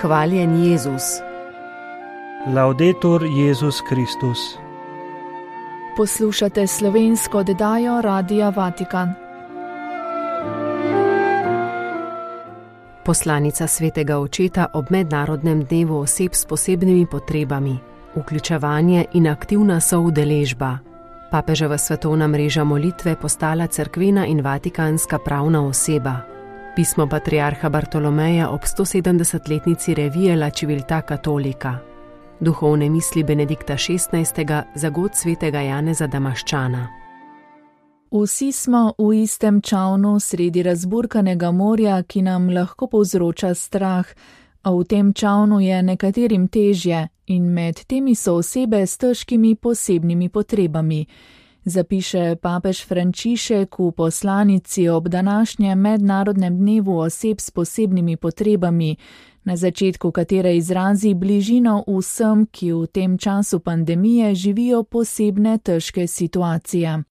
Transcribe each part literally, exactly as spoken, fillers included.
Hvaljen Jezus. Laudetur Jezus Kristus. Poslušate slovensko oddajo Radia Vatikan. Poslanica Svetega Očeta ob mednarodnem dnevu oseb s posebnimi potrebami, vključevanje in aktivna soudeležba. Papeževa svetovna mreža molitve postala cerkvena in vatikanska pravna oseba. Pismo patriarha Bartolomeja ob stosedemdesetletnici revije La Civiltà Cattolica. Duhovne misli Benedikta šestnajstega za god svetega Janeza Damaščana. Vsi smo v istem čavnu sredi razburkanega morja, ki nam lahko povzroča strah, a v tem čavnu je nekaterim težje in med temi so osebe s težkimi posebnimi potrebami. Zapiše papež Frančišek v poslanici ob današnjem mednarodnem dnevu oseb s posebnimi potrebami, na začetku katere izrazi bližino vsem, ki v tem času pandemije živijo posebne težke situacije.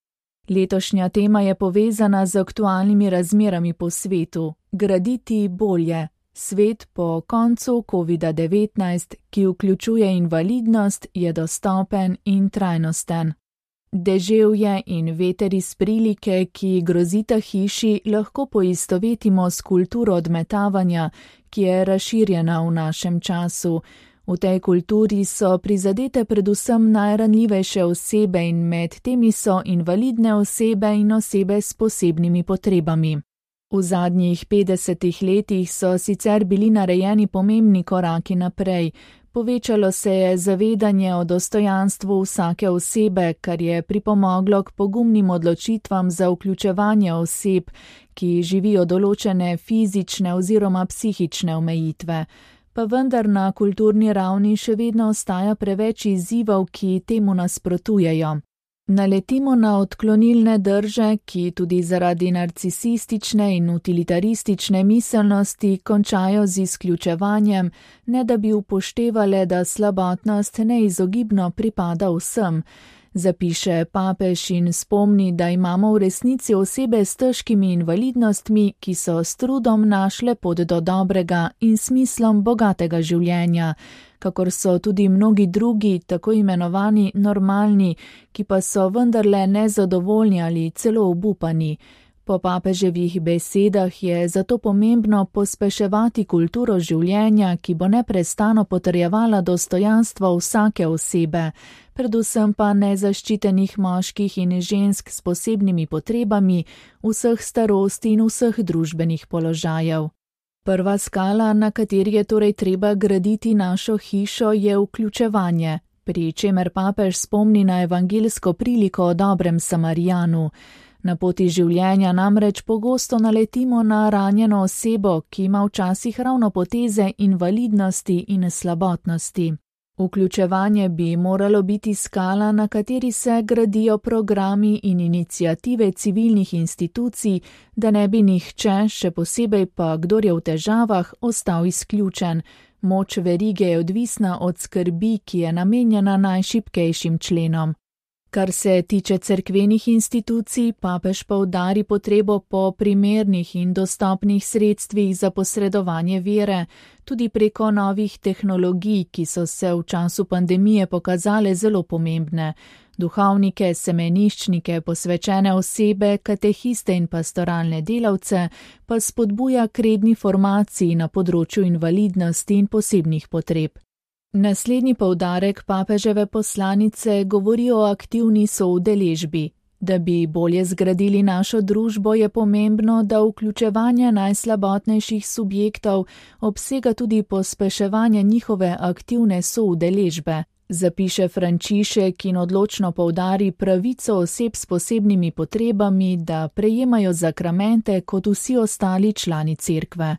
Letošnja tema je povezana z aktualnimi razmerami po svetu, graditi bolje, svet po koncu kovida devetnajst, ki vključuje invalidnost, je dostopen in trajnosten. Deževje in veter iz prilike, ki grozita hiši, lahko poistovetimo s kulturo odmetavanja, ki je razširjena v našem času. V tej kulturi so prizadete predvsem najranljivejše osebe in med temi so invalidne osebe in osebe s posebnimi potrebami. V zadnjih petdesetih letih so sicer bili narejeni pomembni koraki naprej. Povečalo se je zavedanje o dostojanstvu vsake osebe, kar je pripomoglo k pogumnim odločitvam za vključevanje oseb, ki živijo določene fizične oziroma psihične omejitve. Pa vendar na kulturni ravni še vedno ostaja preveč izzivov, ki temu nasprotujejo. Naletimo na odklonilne drže, ki tudi zaradi narcisistične in utilitaristične miselnosti končajo z izključevanjem, ne da bi upoštevale, da slabotnost neizogibno pripada vsem. Zapiše papež in spomni, da imamo v resnici osebe s težkimi invalidnostmi, ki so s trudom našle pot do dobrega in smislom bogatega življenja, kakor so tudi mnogi drugi, tako imenovani normalni, ki pa so vendarle nezadovoljni ali celo obupani. Po papeževih besedah je zato pomembno pospeševati kulturo življenja, ki bo neprestano potrjevala dostojanstvo vsake osebe, predvsem pa nezaščitenih moških in žensk s posebnimi potrebami, vseh starosti in vseh družbenih položajev. Prva skala, na kateri je torej treba graditi našo hišo, je vključevanje, pri čemer papež spomni na evangeljsko priliko o dobrem Samarijanu. Na poti življenja namreč pogosto naletimo na ranjeno osebo, ki ima včasih ravno poteze invalidnosti in slabotnosti. Vključevanje bi moralo biti skala, na kateri se gradijo programi in iniciative civilnih institucij, da ne bi nihče, še posebej pa kdor je v težavah, ostal izključen. Moč verige je odvisna od skrbi, ki je namenjena najšibkejšim členom. Kar se tiče cerkvenih institucij, papež poudari potrebo po primernih in dostopnih sredstvih za posredovanje vere, tudi preko novih tehnologij, ki so se v času pandemije pokazale zelo pomembne. Duhovnike, semeniščnike, posvečene osebe, katehiste in pastoralne delavce pa spodbuja k redni formaciji na področju invalidnosti in posebnih potreb. Naslednji poudarek papeževe poslanice govori o aktivni soudeležbi. Da bi bolje zgradili našo družbo, je pomembno, da vključevanje najslabotnejših subjektov obsega tudi pospeševanje njihove aktivne soudeležbe. Zapiše Frančišek in odločno poudari pravico oseb s posebnimi potrebami, da prejemajo zakramente kot vsi ostali člani cerkve.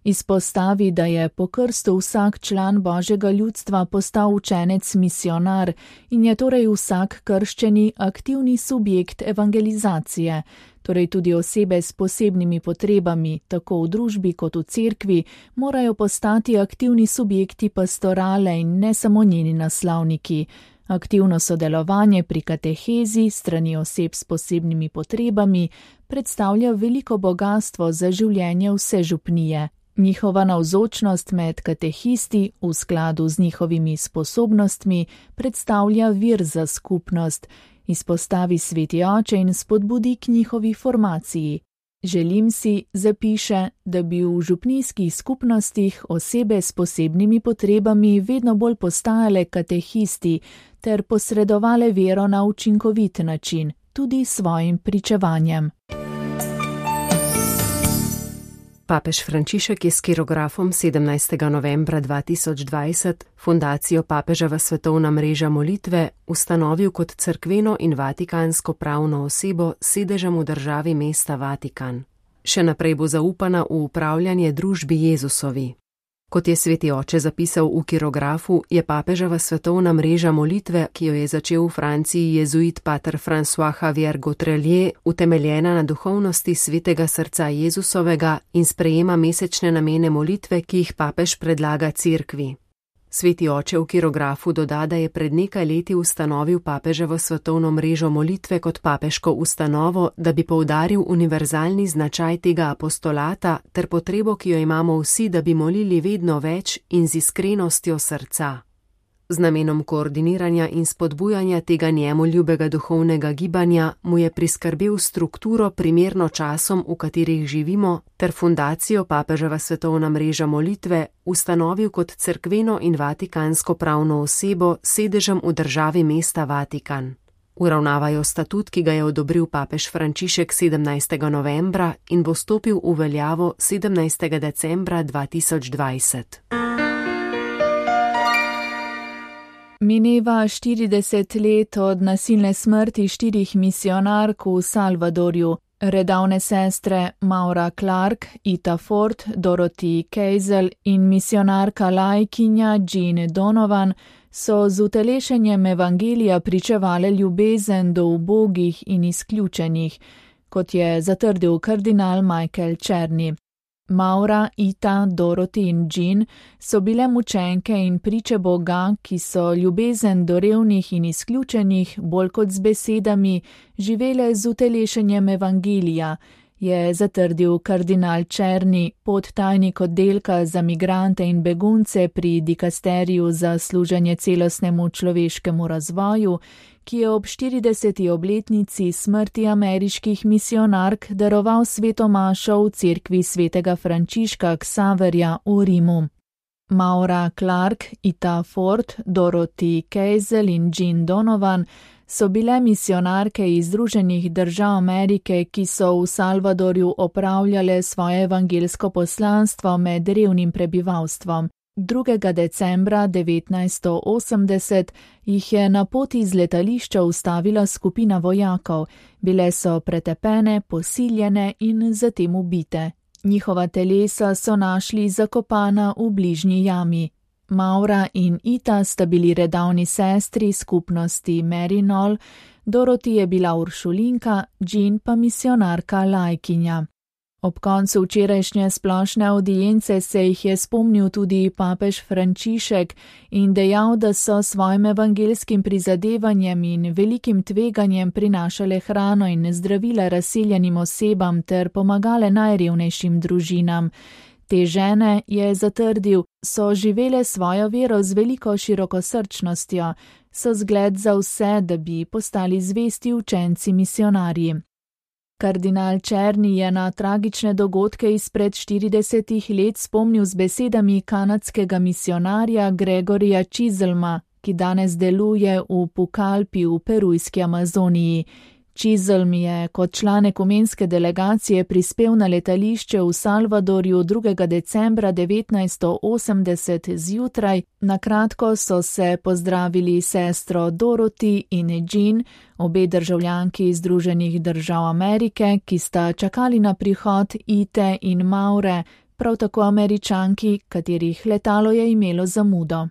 Izpostavi, da je po krstu vsak član Božjega ljudstva postal učenec misionar in je torej vsak krščeni aktivni subjekt evangelizacije, torej tudi osebe s posebnimi potrebami, tako v družbi kot v cerkvi, morajo postati aktivni subjekti pastorale in ne samo njeni naslavniki. Aktivno sodelovanje pri katehezi strani oseb s posebnimi potrebami predstavlja veliko bogastvo za življenje vse župnije. Njihova navzočnost med katehisti v skladu z njihovimi sposobnostmi predstavlja vir za skupnost, izpostavi sveti oče in spodbudi k njihovi formaciji. Želim si, zapiše, da bi v župnijskih skupnostih osebe s posebnimi potrebami vedno bolj postajale katehisti ter posredovale vero na učinkovit način, tudi svojim pričevanjem. Papež Frančišek je s kirografom sedemnajstega novembra dva tisoč dvajset fundacijo Papeževa svetovna mreža molitve ustanovil kot cerkveno in vatikansko pravno osebo s sedežem v državi mesta Vatikan. Še naprej bo zaupana v upravljanje družbi Jezusovi. Kot je sveti oče zapisal v kirografu, je Papeževa svetovna mreža molitve, ki jo je začel v Franciji jezuit pater François Javier Gautrelier, utemeljena na duhovnosti svetega srca Jezusovega in sprejema mesečne namene molitve, ki jih papež predlaga cerkvi. Sveti oče v kirografu doda, da je pred nekaj leti ustanovil Papeževo svetovno mrežo molitve kot papeško ustanovo, da bi poudaril univerzalni značaj tega apostolata ter potrebo, ki jo imamo vsi, da bi molili vedno več in z iskrenostjo srca. Z namenom koordiniranja in spodbujanja tega njemu ljubega duhovnega gibanja mu je priskrbel strukturo primerno časom, v katerih živimo, ter fundacijo Papeževa svetovna mreža molitve ustanovil kot cerkveno in vatikansko pravno osebo s sedežem v državi mesta Vatikan. Uravnavajo statut, ki ga je odobril papež Frančišek sedemnajstega novembra in bo stopil v veljavo sedemnajstega decembra dva tisoč dvajset. Mineva štirideset let od nasilne smrti štirih misionark v Salvadorju. Redavne sestre Maura Clark, Ita Ford, Dorothy Keisel in misionarka laikinja Jean Donovan so z utelešenjem evangelija pričevale ljubezen do ubogih in izključenih, kot je zatrdil kardinal Michael Czerny. Maura, Ita, Dorothy in Jean so bile mučenke in priče Boga, ki so ljubezen do revnih in izključenih bolj kot z besedami živele z utelešenjem evangelija, je zatrdil kardinal Czerny, podtajnik oddelka za migrante in begunce pri dikasteriju za služenje celostnemu človeškemu razvoju, ki je ob štirideseti obletnici smrti ameriških misionark daroval sveto mašo v cerkvi svetega Frančiška Ksaverja v Rimu. Maura Clark, Ita Ford, Dorothy Keisel in Jean Donovan so bile misionarke iz Združenih držav Amerike, ki so v Salvadorju opravljale svoje evangelsko poslanstvo med revnim prebivalstvom. drugega decembra devetnajststo osemdeset jih je na poti z letališča ustavila skupina vojakov. Bile so pretepene, posiljene in zatem ubite. Njihova telesa so našli zakopana v bližnji jami. Maura in Ita sta bili redavni sestri skupnosti Merinol, Dorothy je bila uršulinka, Jean pa misionarka laikinja. Ob koncu včerajšnje splošne avdience se jih je spomnil tudi papež Frančišek in dejal, da so svojim evangelskim prizadevanjem in velikim tveganjem prinašale hrano in zdravila razseljenim osebam ter pomagale najrevnejšim družinam. Te žene, je zatrdil, so živele svojo vero z veliko širokosrčnostjo, so zgled za vse, da bi postali zvesti učenci misionarji. Kardinal Czerny je na tragične dogodke izpred štiridesetih let spomnil z besedami kanadskega misionarja Gregorija Chiselma, ki danes deluje v Pucallpi v perujski Amazoniji. Chiselm je kot član ekumenske delegacije prispel na letališče v Salvadorju drugega decembra devetnajststo osemdeset zjutraj. Na kratko so se pozdravili sestro Dorothy in Jean, obe državljanki Združenih držav Amerike, ki sta čakali na prihod Ite in Maure, prav tako Američanki, katerih letalo je imelo zamudo.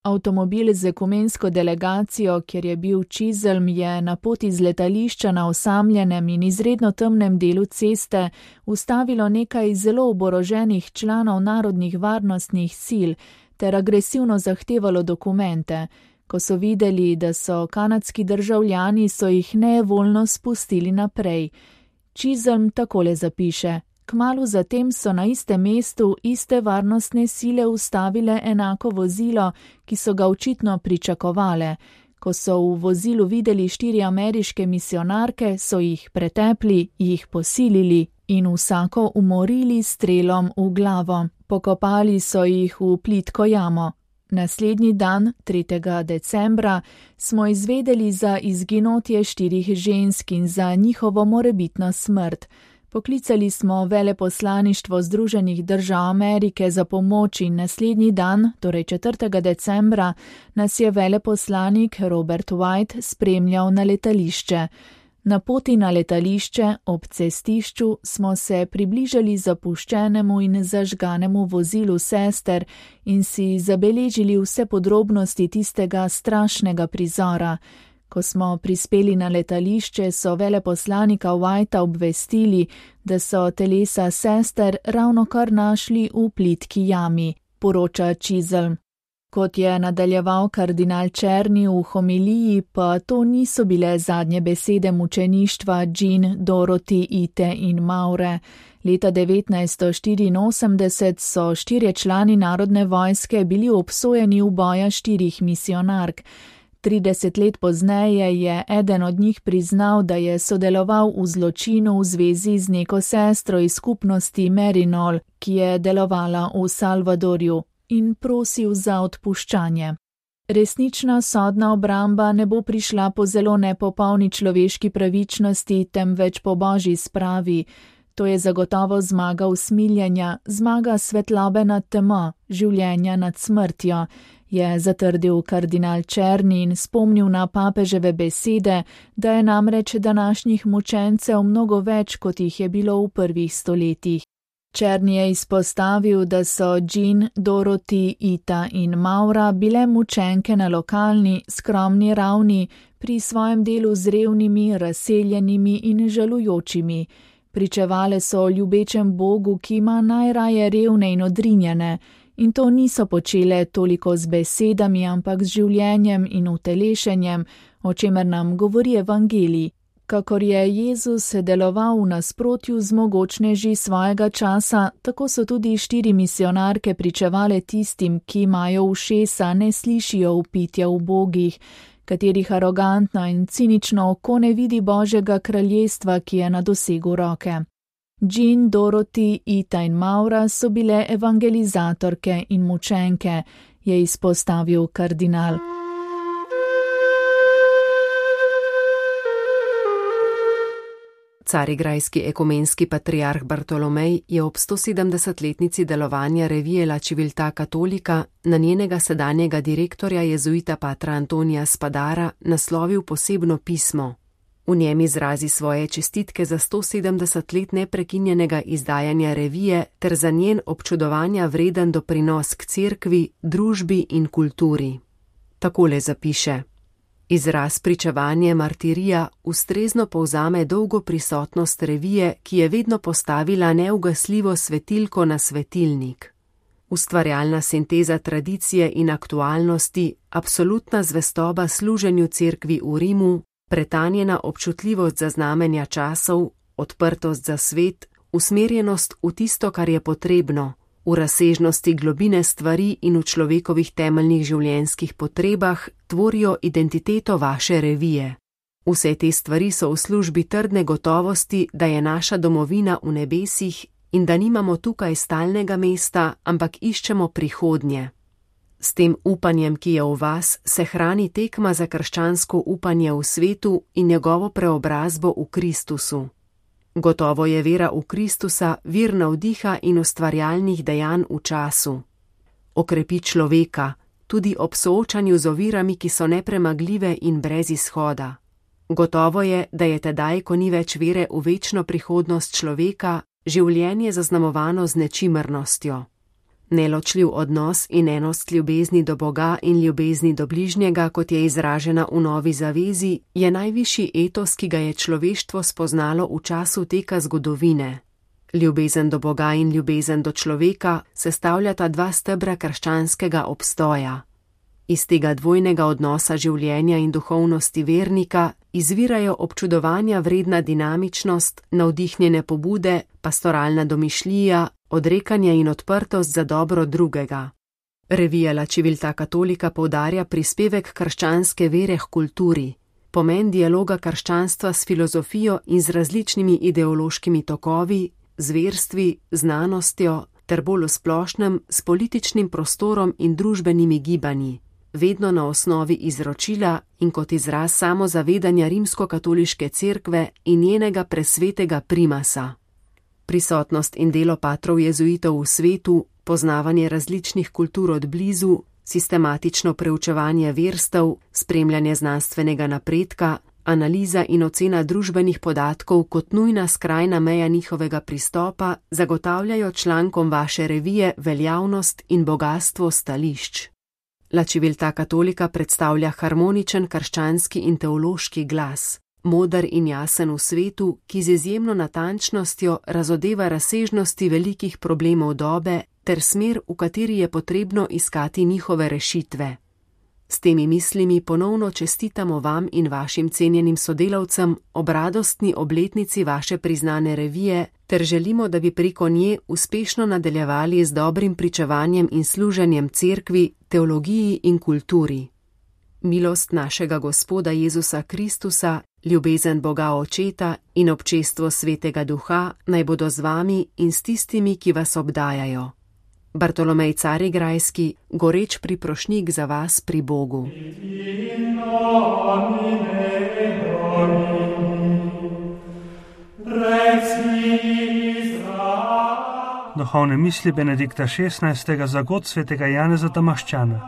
Avtomobil z ekumensko delegacijo, kjer je bil Chiselm, je na poti z letališča na osamljenem in izredno temnem delu ceste ustavilo nekaj zelo oboroženih članov narodnih varnostnih sil ter agresivno zahtevalo dokumente. Ko so videli, da so kanadski državljani, so jih nevoljno spustili naprej. Chiselm takole zapiše: Kmalu zatem so na istem mestu iste varnostne sile ustavile enako vozilo, ki so ga očitno pričakovale. Ko so v vozilu videli štiri ameriške misionarke, so jih pretepli, jih posilili in vsako umorili s strelom v glavo. Pokopali so jih v plitko jamo. Naslednji dan, tretjega decembra, smo izvedeli za izginotje štirih žensk in za njihovo morebitno smrt. Poklicali smo veleposlaništvo Združenih držav Amerike za pomoč in naslednji dan, torej četrtega decembra, nas je veleposlanik Robert White spremljal na letališče. Na poti na letališče ob cestišču smo se približali zapuščenemu in zažganemu vozilu sester in si zabeležili vse podrobnosti tistega strašnega prizora. Ko smo prispeli na letališče, so veleposlanika Whitea obvestili, da so telesa sester ravnokar našli v plitki jami, poroča Chisholm. Kot je nadaljeval kardinal Černi v homiliji, pa to niso bile zadnje besede mučeništva Jean, Dorothy, Ite in Maure. Leta devetnajststo štiriinosemdeset so štirje člani narodne vojske bili obsojeni uboja štirih misionark. trideset let pozneje je eden od njih priznal, da je sodeloval v zločinu v zvezi z neko sestro iz skupnosti Merinol, ki je delovala v Salvadorju, in prosil za odpuščanje. Resnična sodna obramba ne bo prišla po zelo nepopolni človeški pravičnosti, temveč po božji spravi. To je zagotovo zmaga usmiljenja, zmaga svetlobe nad temo, življenja nad smrtjo, je zatrdil kardinal Černi in spomnil na papeževe besede, da je namreč današnjih mučencev mnogo več, kot jih je bilo v prvih stoletjih. Černi je izpostavil, da so Jean, Dorothy, Ita in Maura bile mučenke na lokalni, skromni ravni, pri svojem delu z revnimi, razseljenimi in žalujočimi. Pričevale so o ljubečem Bogu, ki ima najraje revne in odrinjene, in to niso počele toliko z besedami, ampak z življenjem in utelešenjem, o čemer nam govori evangelij. Kakor je Jezus deloval v nasprotju z mogočneži svojega časa, tako so tudi štiri misionarke pričevale tistim, ki imajo ušesa, ne slišijo vpitja v bogih, katerih arogantno in cinično oko ne vidi Božjega kraljestva, ki je na dosegu roke. Jean, Dorothy, Ita in Maura so bile evangelizatorke in mučenke, je izpostavil kardinal. Carigrajski ekumenski patriarh Bartolomej je ob stosedemdesetletnici delovanja revije La Civiltà Cattolica na njenega sedanjega direktorja jezuita patra Antonija Spadara naslovil posebno pismo. V njem izrazi svoje čestitke za stosedemdeset let neprekinjenega izdajanja revije ter za njen občudovanja vreden doprinos k cerkvi, družbi in kulturi. Takole zapiše: Izraz pričevanje martirija ustrezno povzame dolgo prisotnost revije, ki je vedno postavila neugasljivo svetilko na svetilnik. Ustvarjalna sinteza tradicije in aktualnosti, absolutna zvestoba služenju cerkvi v Rimu, pretanjena občutljivost za znamenja časov, odprtost za svet, usmerjenost v tisto, kar je potrebno, v razsežnosti globine stvari in v človekovih temeljnih življenjskih potrebah tvorijo identiteto vaše revije. Vse te stvari so v službi trdne gotovosti, da je naša domovina v nebesih in da nimamo tukaj stalnega mesta, ampak iščemo prihodnje. S tem upanjem, ki je v vas, se hrani tekma za krščansko upanje v svetu in njegovo preobrazbo v Kristusu. Gotovo je vera v Kristusa vir navdiha in ustvarjalnih dejanj v času. Okrepi človeka, tudi ob soočanju z ovirami, ki so nepremagljive in brez izhoda. Gotovo je, da je tedaj, ko ni več vere v večno prihodnost človeka, življenje zaznamovano z nečimrnostjo. Neločljiv odnos in enost ljubezni do Boga in ljubezni do bližnjega, kot je izražena v Novi zavezi, je najvišji etos, ki ga je človeštvo spoznalo v času teka zgodovine. Ljubezen do Boga in ljubezen do človeka sestavljata dva stebra krščanskega obstoja. Iz tega dvojnega odnosa življenja in duhovnosti vernika izvirajo občudovanja vredna dinamičnost, navdihnjene pobude, pastoralna domišljija, odrekanje in odprtost za dobro drugega. Revija La Civiltà Cattolica poudarja prispevek krščanske vere k kulturi, pomen dialoga krščanstva s filozofijo in z različnimi ideološkimi tokovi, z verstvi, znanostjo, ter bolj v splošnem s političnim prostorom in družbenimi gibanji, vedno na osnovi izročila in kot izraz samozavedanja rimskokatoliške cerkve in njenega presvetega primasa. Prisotnost in delo patrov jezuitov v svetu, poznavanje različnih kultur od blizu, sistematično preučevanje verstev, spremljanje znanstvenega napredka, analiza in ocena družbenih podatkov kot nujna skrajna meja njihovega pristopa zagotavljajo člankom vaše revije veljavnost in bogastvo stališč. La Civiltà Cattolica predstavlja harmoničen krščanski in teološki glas, moder in jasen v svetu, ki z izjemno natančnostjo razodeva razsežnosti velikih problemov dobe ter smer, v kateri je potrebno iskati njihove rešitve. S temi mislimi ponovno čestitamo vam in vašim cenjenim sodelavcem ob radostni obletnici vaše priznane revije ter želimo, da bi preko nje uspešno nadaljevali z dobrim pričevanjem in služenjem cerkvi, teologiji in kulturi. Milost našega Gospoda Jezusa Kristusa, ljubezen Boga Očeta in občestvo Svetega Duha naj bodo z vami in s tistimi, ki vas obdajajo. Bartolomej Carigrajski, goreč priprošnjik za vas pri Bogu. Duhovne misli Benedikta šestnajstega za god svetega Janeza Damaščana.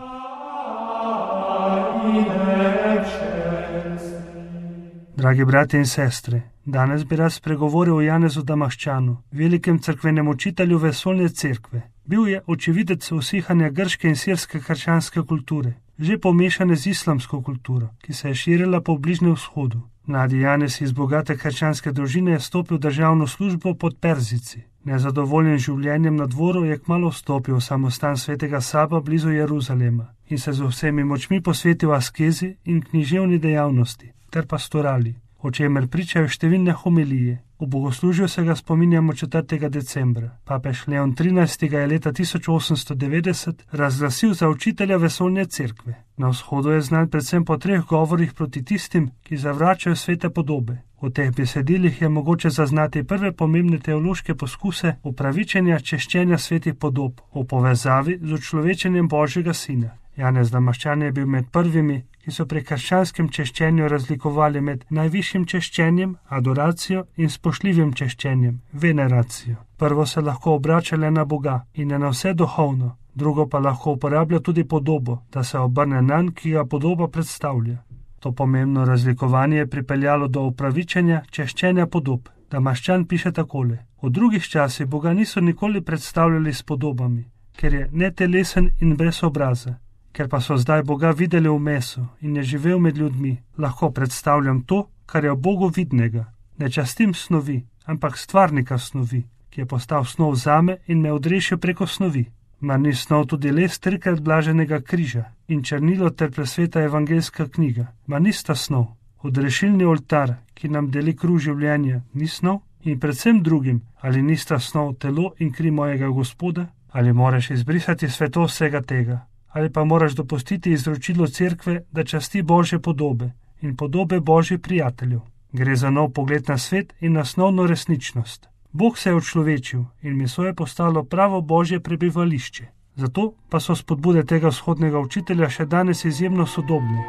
Dragi bratje in sestre, danes bi rad spregovoril o Janezu Damaščanu, velikem cerkvenem učitelju vesoljne cerkve. Bil je očividec usihanja grške in sirske krščanske kulture, že pomešane z islamsko kulturo, ki se je širila po Bližnjem vzhodu. Mladi Janez iz bogate krščanske družine je stopil v državno službo pod Perzici. Nezadovoljen življenjem na dvoru je kmalu vstopil v samostan svetega Saba blizu Jeruzalema in se z vsemi močmi posvetil askezi in književni dejavnosti ter pastorali, o čemer pričajo številne homilije. V bogoslužju se ga spominjamo četrtega decembra. Papež Leon trinajsti je leta tisoč osemsto devetdeset razglasil za učitelja vesoljne cerkve. Na vzhodu je znan predvsem po treh govorih proti tistim, ki zavračajo svete podobe. V teh besedilih je mogoče zaznati prve pomembne teološke poskuse upravičenja češčenja svetih podob v povezavi z učlovečenjem Božjega Sina. Janez Damaščan je bil med prvimi, ki so pri krščanskem češčenju razlikovali med najvišjim češčenjem, adoracijo in spoštljivim češčenjem, veneracijo. Prvo se lahko obrača le na Boga in je na vse duhovno, drugo pa lahko uporablja tudi podobo, da se obrne nanj, ki ga podoba predstavlja. To pomembno razlikovanje je pripeljalo do upravičenja češčenja podob. Damaščan piše takole: v drugih časih Boga niso nikoli predstavljali s podobami, ker je netelesen in brez obraza. Ker pa so zdaj Boga videli v mesu in je živel med ljudmi, lahko predstavljam to, kar je v Bogu vidnega. Ne častim snovi, ampak stvarnika snovi, ki je postal snov zame in me odrešil preko snovi. Mar ni snov tudi les trikrat blaženega križa in črnilo ter presveta evangeljska knjiga? Mar nista snov? Odrešilni oltar, ki nam deli kruh življenja, ni snov? In predvsem drugim, ali nista snov telo in kri mojega Gospoda? Ali moraš izbrisati sveto vsega tega? Ali pa moraš dopustiti izročilo cerkve, da časti Božje podobe in podobe Božjih prijateljev. Gre za nov pogled na svet in na osnovno resničnost. Bog se je učlovečil in meso je postalo pravo Božje prebivališče. Zato pa so spodbude tega vzhodnega učitelja še danes izjemno sodobne.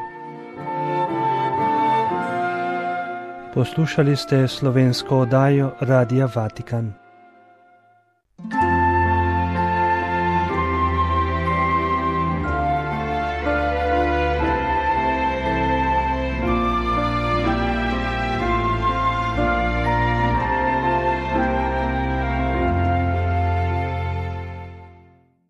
Poslušali ste slovensko oddajo Radia Vatikan.